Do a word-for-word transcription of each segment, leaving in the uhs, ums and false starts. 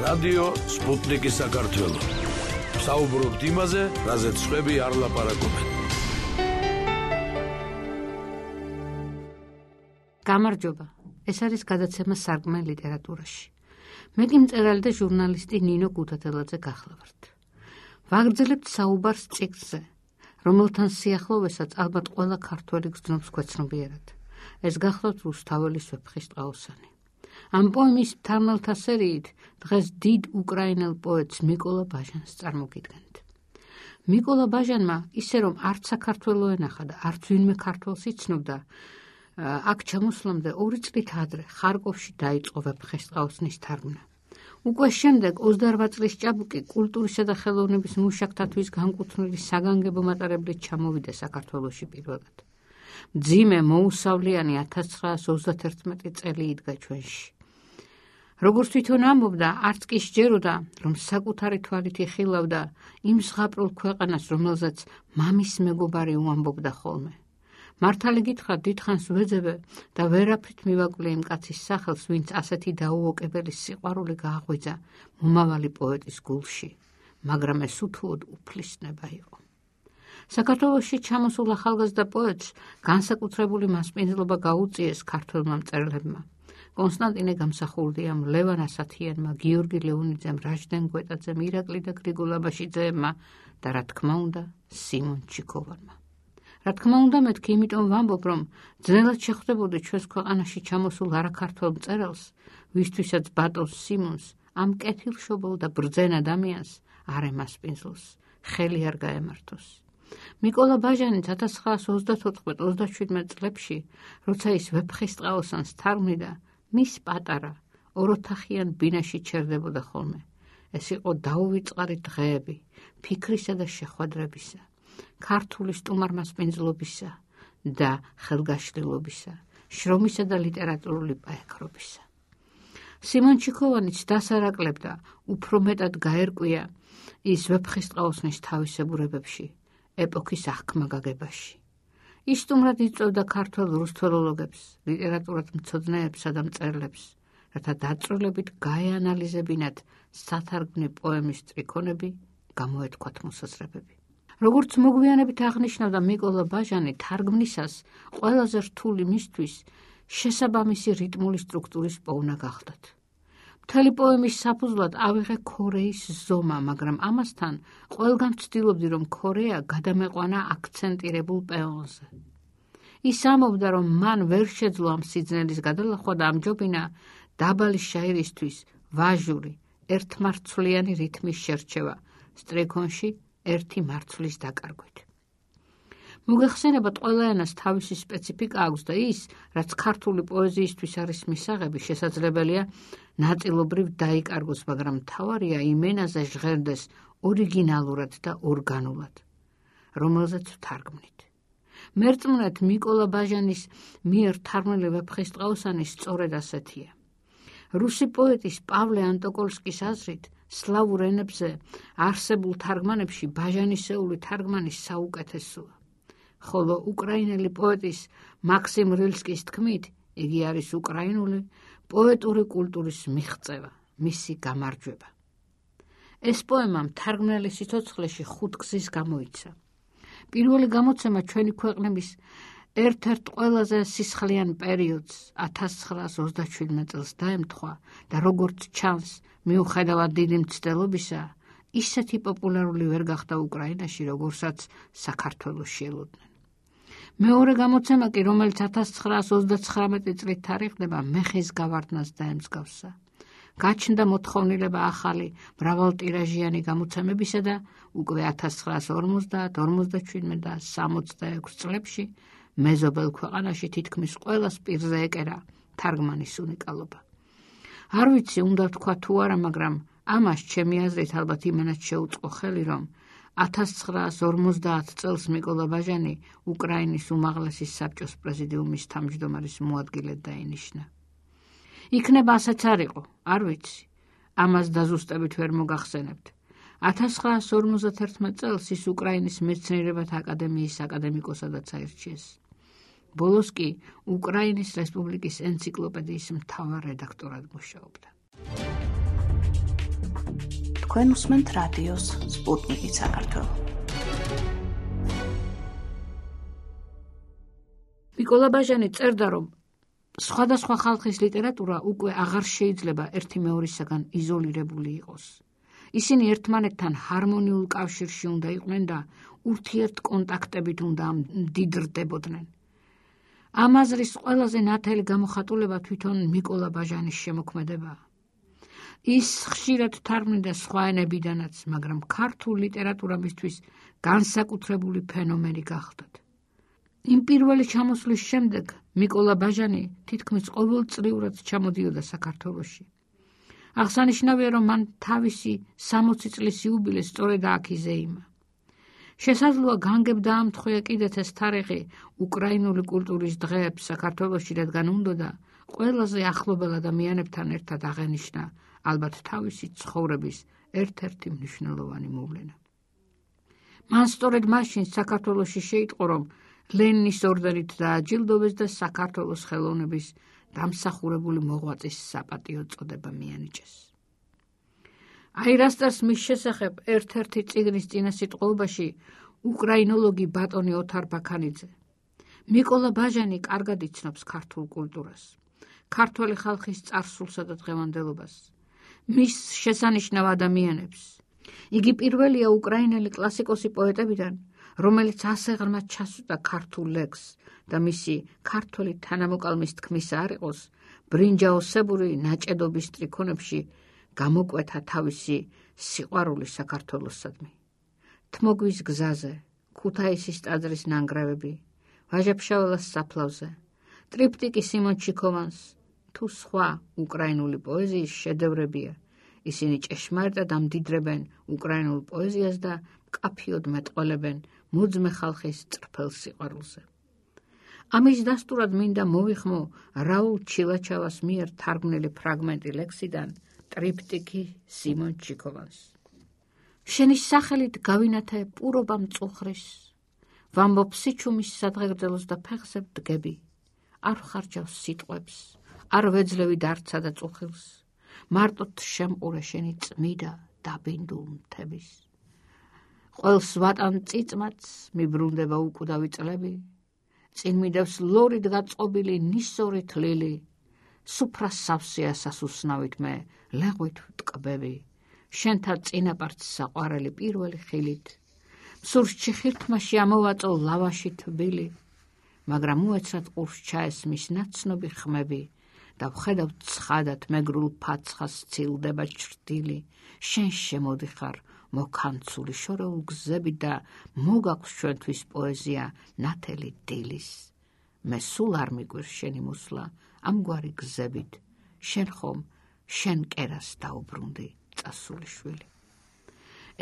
რადიო სპუტნიკი საქართველო. საუბრობთ იმაზე, რაზეც სხვები არ ლაპარაკობენ. გამარჯობა. ეს არის გადაცემა სარკმელი ლიტერატურაში. მე კი მწერალი და ჟურნალისტი ნინო გუთათელაძე გახლავართ. ვაგრძელებთ საუბარს წიგნზე, რომელთან სიახლოვესაც ალბათ ყველა ქართველი გრძნობს ქვეცნობიერად. ეს გახლავთ რუსთაველის ვეფხისტყაოსანი. ამ პოემის მთარგმნელთა სერიით დღეს დიდ უკრაინელ პოეტს მიკოლა ბაჟანს წარმოგიდგენთ. მიკოლა ბაჟანმა ისე რომ არც საქართველო ენახა და არც ვინმე ქართველს იცნობდა, აქ ჩამოსვლამდე ორი წლით ადრე ხარკოვში დაიწყო ვეფხისტყაოსნის თარგმნა. უკვე შემდეგ ოცდაორ წლის ჭაბუკი კულტურისა და ხელოვნების მუშაკთათვის განკუთვნილი საგანგებო მატარებლით ჩამოვიდა საქართველოში პირველად. მძიმე მოუსავლიანი ათას ცხრაას ოცდათერთმეტი წელი იდგა ჩვენში. როგორც თვითონ ამბობდა, არც კი სჯეროდა, რომ საკუთარი თვალით იხილავდა იმ ზღაპრულ ქვეყანას, რომელზეც მამის მეგობარი უამბობდა ხოლმე. მართალი გითხრათ, დიდხანს ვეძებე და ვერაფრით მივაკლე იმ კაცის სახელს, ვინც ასეთი დაუოკებელი სიყვარული გააღვიძა მომავალი პოეტის გულში, მაგრამ ეს უთუოდ უფლისნება იყო. საქართველოში ჩამოსულ ახალგაზრდა პოეტს განსაკუთრებული მასპინძლობა გაუწიეს ქართველმა მწერლებმა. კონსტანტინე გამსახურდიამ, ლევან ასათიანმა, გიორგი ლეონიძემ, რაჟდენ გვეტაძემ, ირაკლი და გრიგოლ აბაშიძეებმა და რა თქმა უნდა, სიმონ ჩიქოვანმა. რა თქმა უნდა, მეთქი იმიტომ ვამბობ, რომ ძნელად შეხვდებოდი ჩვენს ქვეყანაში ჩამოსულ არაქართველ მწერალს, ვისთვისაც ბატონს სიმონს, ამ კეთილშობილ და ბრძენ ადამიანს არ ემასპინძლოს, ხელი არ გაემართოს. მიკოლა ბაჟანიც ათას ცხრაას ოცდათოთხმეტ ოცდაშვიდმეტ წლებში, როცა ის ვეფხისტყაოსანს თარგმნიდა, მის პატარა ოროთახიან ბინაში ჩერდებოდა ხოლმე. ეს იყო დაუვიწყარი დღეები, ფიქრისა და შეხვედრებისა, ქართული სტუმარმასპინძლობისა და ხელგაშლილობისა, შრომისა და ლიტერატურული პაექრობისა. სიმონ ჩიქოვანიც დასარაკლებდა, უფრო მეტად გაერკვია ის ვეფხისტყაოსნის თავისებურებებში, ეპოქის აღქმაგაგებაში. ის სტუმრად იწვევდა ქართველ რუსთველოლოგებს, ლიტერატურად მცოდნეებსა და მწერლებს, რათა დაწვრილებით გაეანალიზებინათ სათარგმნი პოემის ტრიქონები, გამოეთქვათ მოსაზრებები. როგორც მოგვიანებით აღნიშნავდა მიკოლა ბაჟანი, თარგმნისას ყველაზე რთული მისთვის შესაბამისი რიტმული სტრუქტურის პოვნა გახდათ. მთელი პოემის საფუძვლად ავიღე ქორეის ზომა, მაგრამ ამასთან ყველგან ვცდილობდი, რომ ქორეა გადამეყვანა აქცენტირებულ პეონზე. ის ამბობდა, რომ მან ვერ შეძლო ამ სიძნელის გადალახვა და ამჯობინა დაბალი შაირისთვის ვაჟური, ერთმარცვლიანი რითმის შერჩევა, სტრიქონში ერთი მარცვლის დაკარგვით. მოგეხსენებათ, ყველა ენას თავისი სპეციფიკა აქვს და ის, რაც ქართული პოეზიისთვის არის მისაღები, შესაძლებელია ნაწილობრივ დაიკარგოს, მაგრამ მთავარია იმ ენაზე ჟღერდეს ორიგინალურად და ორგანულად, რომელზეც ვთარგმნით. მერწმუნეთ მიკოლა ბაჟანის მიერ თარგმნილი ვეფხისტყაოსანი სწორედ ასეთია. რუსი პოეტის პავლე ანტოკოლსკის აზრით, სლავურ ენებზე არსებულ თარგმანებში ბაჟანისეული თარგმანი საუკეთესოა. ხოლო უკრაინელი პოეტის მაქსიმ რილსკის თქმით, იგი არის უკრაინული პოეტური კულტურის მიღწევა, მისი გამარჯვება. ეს პოემა მთარგმნელი სიცოცხლეში ხუთ გზის გამოიცა. პირველი გამოცემა ჩვენი ქვეყნების ერთ-ერთ ყველაზე სისხლიან პერიოდს ათას ცხრაას ოცდაშვიდმეტ წელს დაემთხვა და როგორც ჩანს, მიუხედავად დიდი მცდელობისა, ისეთი პოპულარული ვერ გახდა უკრაინაში, როგორცაც საქართველოში ელოდნენ. მეორე გამოცემა კი, რომელიც ათას ცხრაას ოცდაცხრამეტი წლით თარიღდება, მეხის გავარდნას დაემსგავსა. გაჩნდა მოთხოვნილება ახალი მრავალტირაჟიანი გამოცემებისა და უკვე ათას ცხრაას ორმოცდაათ, ორმოცდაშვიდმეტ და სამოცდაექვსი წლებში მეზობელ ქვეყანაში თითქმის ყველას პირზე ეკერა თარგმანის უნიკალობა. არ ვიცი, უნდა ვთქვა თუ არა, მაგრამ ამას ჩემი აზრით ალბათ იმენად შეუწყო ხელი, რომ ათას ცხრაას ორმოცდაათ წელს მიკოლა ბაჟანი უკრაინის უმაღლესი საბჭოს პრეზიდიუმის თავმჯდომარის მოადგილედ დაინიშნა. იქნება ასეც არ იყო, არ ვიცი, ამას დაზუსტებით ვერ მოგახსენებთ. ათას ცხრაას ორმოცდათერთმეტ წელს ის უკრაინის მეცნიერებათა აკადემიის აკადემიკოსადაც აირჩიეს. ბოლოს კი უკრაინის რესპუბლიკის ენციკლოპედიის მთავარ რედაქტორად მუშაობდა. თქვენ უსმენთ რადიოს სპუტნიკი საქართველო. მიკოლა ბაჟანი წერდა, რომ სხვადასხვა ხალხის ლიტერატურა უკვე აღარ შეიძლება ერთი მეორისაგან იზოლირებული იყოს. ისინი ერთმანეთთან ჰარმონიულ კავშირში უნდა იყვნენ და ურთიერთ კონტაქტებით უნდა მდიდრდებოდნენ. ამ აზრის ყველაზე ნათელი გამოხატულება თვითონ მიკოლა ბაჟანის შემოქმედებაა. ის ხშირად თარგმნიდა სხვა ენებიდანაც, მაგრამ ქართულ ლიტერატურა მისთვის განსაკუთრებული ფენომენი გახდათ. იმ პირველი ჩამოსვლის შემდეგ მიკოლა ბაჟანი თითქმის ყოველწლიურად ჩამოდიოდა საქართველოში. აღსანიშნავია, რომ მან თავისი სამოცი წლის იუბილე სწორედ აქ იზეიმა. შესაძლოა განგებ დაამთხვია კიდეც ეს თარიღი უკრაინული კულტურის დღეებს საქართველოში, რადგან უნდოდა ყველაზე ახლობელ ადამიანებთან ერთად აღენიშნა ალბათ თავისი ცხოვრების ერთ-ერთი მნიშვნელოვანი მოვლენა. მან სწორედ მაშინ საქართველოში შეიტყო, რომ ლენინის ორდენით დააჯილდოვეს და საქართველოს ხელოვნების დამსახურებული მოღვაწის საპატიო წოდება მიანიჭეს. აირასტას მის შესახებ ერთ-ერთი წიგნის წინასიტყვობაში უკრაინოლოგი ბატონი ოთარ ბაქანიძე: მიკოლა ბაჟანი კარგად იცნობს ქართულ კულტურას, ქართველი ხალხის წარსულსა და დღევანდელობას, მის შესანიშნავ ადამიანებს. იგი პირველია უკრაინელი კლასიკოსი პოეტებიდან, რომელიც ასე ღრმად ჩასვდა ქართულ ლექსს და მისი ქართველი თანამოკალმის თქმისა არ იყოს, ბრინჯაოსებური ნაჭედობის ტრიქონებში გამოკვეთა თავისი სიყვარული საქართველოსადმი. თმოგვის გზაზე, ქუთაისის ტაძრის ნანგრევები, ვაჟა-ფშაველას საფლავზე, ტრიპტიკი სიმონ ჩიქოვანს თუ სხვა უკრაინული პოეზიის შედევრებია. ისინი ჭეშმარიტად ამდიდრებენ უკრაინულ პოეზიას და მკაფიოდ მეტყველებენ მოძმე ხალხის წრფელ სიყვარულზე. ამის დასტურად მინდა მოვიხმო რაულ ჩილაჩავას მიერ თარგმნილი ფრაგმენტი ლექსიდან ტრიპტიკი სიმონ ჩიქოვანს. შენი სახელით გავინათე პურობა მწუხრის, ვამბობ სიჩუმის სადღეგრძელოს და ფეხზე ვდგები, არ ვხარჯავს სიტყვებს, არ ვეძლევი დარცა და წუხილს, მარტოდ შემყურე შენი წმიდა დაბინდულ მთების. ყველს ვატან წიწმაც მიბრუნდება უკვდავი წლები, წინ მიდევს ლორით გაწყობილი ნისორი თლილი, სუფრას სავსეა სასუსნავით მე ლეღვით ვტკბები, შენთა წინაპართ საყვარელი პირველი ხილით, მსურს ჩიხირთმაში ამოვაწო ლავაში თბილი, მაგრამ უეცრად ყურს ჩაესმის ნაცნობი ხმები და ვხედავ ცხადად მეგრულ ფაცხას ცილდება ჩრდილი, შენ შემოდიხარ მოქანცული შორეულ გზები და მოგაქვს ჩვენთვის პოეზია ნათელი დილის. მე სულ არ მიგვირს შენი მოსვლა ამგვარი გზებით, შენ ხომ შენ კერას დაუბრუნდი წასული შვილი.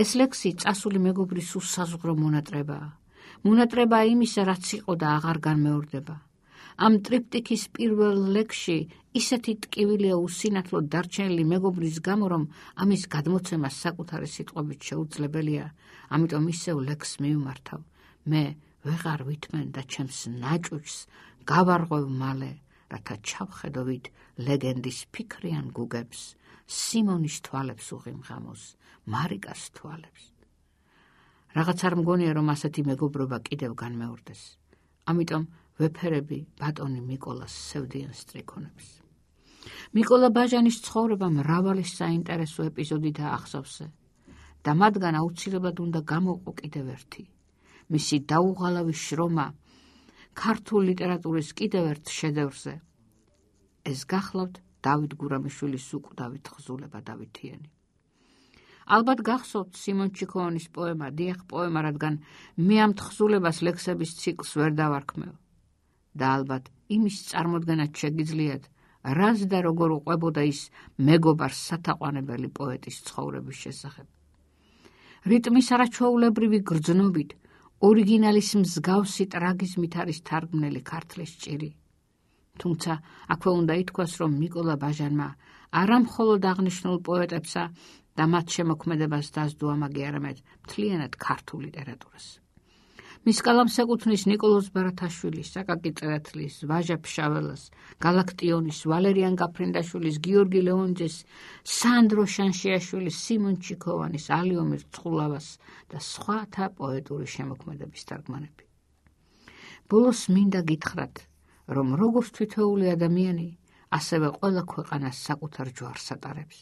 ეს ლექსი წასული მეგობრის უსაზღვრო მონატრებაა. მონატრებაა იმისა, რაც იყო და აღარ განმეორდება. ამ ტრიპტიკის პირველ ლექსში ისეთი ტკივილია უსინათლოდ დარჩენილი მეგობრის გამო, რომ ამის გადმოცემა საკუთარი სიტყვებით შეუძლებელია, ამიტომ ისევ ლექსს მივმართავ. მე ვეღარ ვითმენ და ჩემს ნაჭუჭს გავარღვევ მალე, რათა ჩავხედოვით ლეგენდის ფიქრიან გუგებს, სიმონის თვალებს უღიმღამოს, მარიკას თვალებს. რაღაც არ მგონია, რომ ასეთი მეგობრობა კიდევ განმეორდეს. ამიტომ ვეფერები ბატონი მიკოლას სევდიან სტრიქონებს. მიკოლა ბაჟანის ცხოვრება მრავალი საინტერესო ეპიზოდი დაახსოვსე და მათგან აუცილებლად უნდა გამოვყო კიდევ ერთი. მისი დაუღალავი შრომა ქართულ ლიტერატურის კიდევ ერთ შედევრზე. ეს გახლავთ დავით გურამიშვილის უკვდავი თხზულება დავითიანი. ალბათ გახსოვთ სიმონ ჩიქოვანის პოემა დიახ პოემა, რადგან მე ამ თხზულებას ლექსების ციკლს ვერ დავარქმევ. და ალბათ იმის წარმოდგენაც შეგიძლიათ, რას და როგორ უყვებოდა ის მეგობარს სათაყვანებელი პოეტის ცხოვრების შესახებ. რიტმის არაჩვეულებრივი გრძნობით, ორიგინალის მსგავსი ტრაგიზმით არის თარგმნილი ქართლის ჭირი. თუმცა აქვე უნდა ითქვას, რომ მიკოლა ბაჟანმა არა მხოლოდ აღნიშნულ პოეტებსა და მათ შემოქმედებას დასდო ამაგი არამედ მთლიანად ქართულ ლიტერატურას. მის კალამს ეკუთვნის ნიკოლოზ ბარათაშვილის, საკაკი წერეთლის, ვაჟა ფშაველას, გალაქტიონის, ვალერიან გაფრინდაშვილის, გიორგი ლეონძეს, სანდრო შანშიაშვილის, სიმონ ჩიქოვანის, ალიომირ ცხულავას და სხვათა პოეტური შემოქმედების თარგმანები. ბოლოს მინდა გითხრათ, რომ როგორც თითოეული ადამიანი, ასევე ყველა ქვეყანას საკუთარ ჯვარს ატარებს.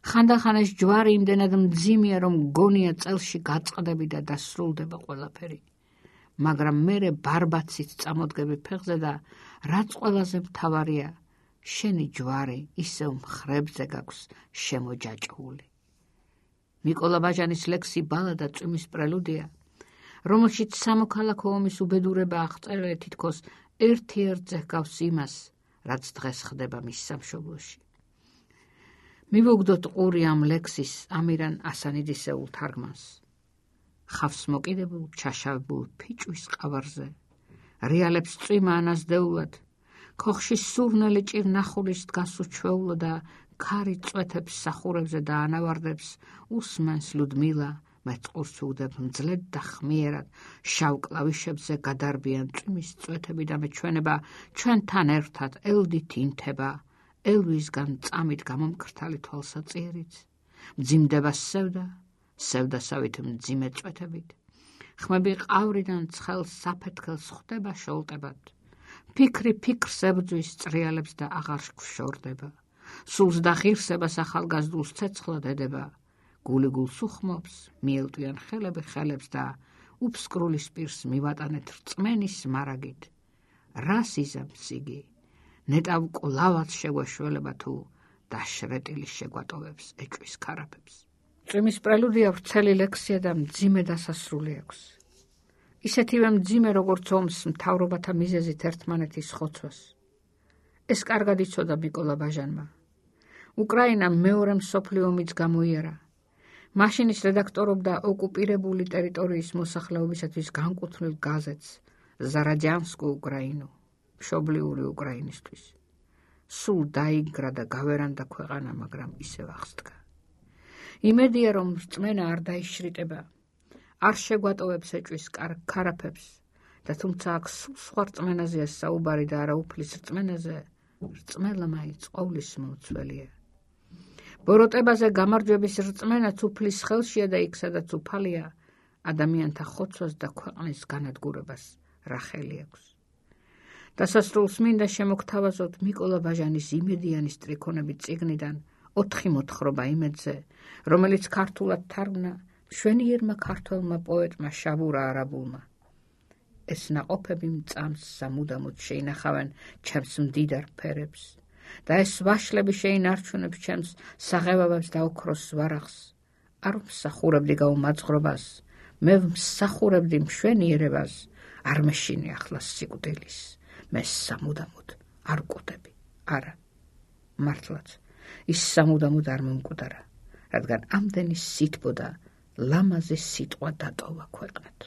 ხანდახან ეს ჯვარი იმდენად მძიმეა, რომ გონია წელში გაწყდები და დასრულდება ყველაფერი. მაგრამ მერე ბარბაცით წამოდგები ფეხზე და რაც ყველაზე მთავარია, შენი ჯვარი ისევ მხრებზე გაქვს შემოჯაჭვული. მიკოლა ბაჟანის ლექსი ბალადა წვიმის პრელუდია, რომელშიც სამოქალაქო ომის უბედურება აღწერილი თითქოს ერთ-ერთზე ჰგავს იმას, რაც დღეს ხდება მის სამშობლოში. მივუგდოთ ყური ამ ლექსის ამირან ასანიდისეულ თარგმანს. ხავს მოკიდებულ ჩაშავებულ ფიჭვის ყავარზე, რეალებს წვიმა ანაზდეულად, ქოხში სურნელი ჭირნახულის დგას უჩვეულო და ქარი წვეთებს სახურებზე და ანავარდებს უსმენს ლუდმილა, მეწყურს უგდებ მძლედ და ხმიერად, შავ კლავიშებზე გადარბიან წვიმის წვეთები და მეჩვენება ჩვენთან ერთად ელდით ინთება, ელვისგან წამით გამომკრთალი თვალსაწიერიც, მძიმდება სევდა, სევდასავით მძიმე წვეთებით, ხმები ყავრიდან ცხელ საფეთქელს ხვდება შოლტებად, ფიქრი ფიქრს ებძვის წრიალებს და აღარ გვშორდება, სულს და ღირსებას ახალგაზრდულს ცეცხლად ედება, გული გულს უხმობს, მიელტვიან ხელები ხელებს და უფსკრულის პირს მივატანეთ რწმენის მარაგით. რას იზამს იგი? ნეტავ ყლავად შეგვეშველება თუ დაშრეტილი შეგვატოვებს ეჭვის ქარაფებს. წვიმის პრელუდია ვრცელი ლექსია და მძიმე დასასრული აქვს. ისეთივე მძიმე, როგორც ომს მთავრობათა მიზეზით ერთმანეთის ხოცვას. ეს კარგად იცოდა მიკოლა ბაჟანმა. უკრაინამ მეორე მსოფლიო ომიც გამოიარა. მაშინ ის რედაქტორობდა ოკუპირებული ტერიტორიის მოსახლეობისათვის განკუთვნილ გაზეთს ზარაჯანსკუ უკრაინუ, მშობლიური უკრაინისთვის. სულ დაიგრა და გავერანდა ქვეყანა, მაგრამ ისევ აღსდგა. იმედია, რომ რწმენა არ დაიშრიტება, არ შეგვატოვებს ეჭვის ქარაფებს და თუმცა აქ სულ სხვა რწმენაზეა საუბარი და არა უფლის რწმენაზე, რწმენა მაინც ყოვლის მომცველია. ბოროტებაზე გამარჯვების რწმენაც უფლის ხელშია და იქ, სადაც უფალია, ადამიანთა ხოცვას და ქვეყნის განადგურებას რა ხელი აქვს. დასასრულს მინდა შემოგთავაზოთ მიკოლა ბაჟანის იმედიანის ტრიქონებით წიგნიდან ოთხი მოთხრობა იმედზე, რომელიც ქართულად თარგმნა მშვენიერმა ქართველმა პოეტმა შაბურა არაბულმა. ეს ნაყოფები მწამს სამუდამოდ შეინახავენ ჩემს მდიდარ ფერებს და ეს ვაშლები შეინარჩუნებს ჩემს საღებავებს და ოქროს ვარახს. არ მსახურებდი გაუმაძღრობას, მე მსახურებდი მშვენიერებას, არ მეშინი ახლა სიკვდილის, მე სამუდამოდ არ კვდები. არა, მართლაც, ის სამუდამოდ არ მომკვდარა, რადგან ამდენი სითბო და ლამაზი სიტყვა დატოვა ქვეყნად.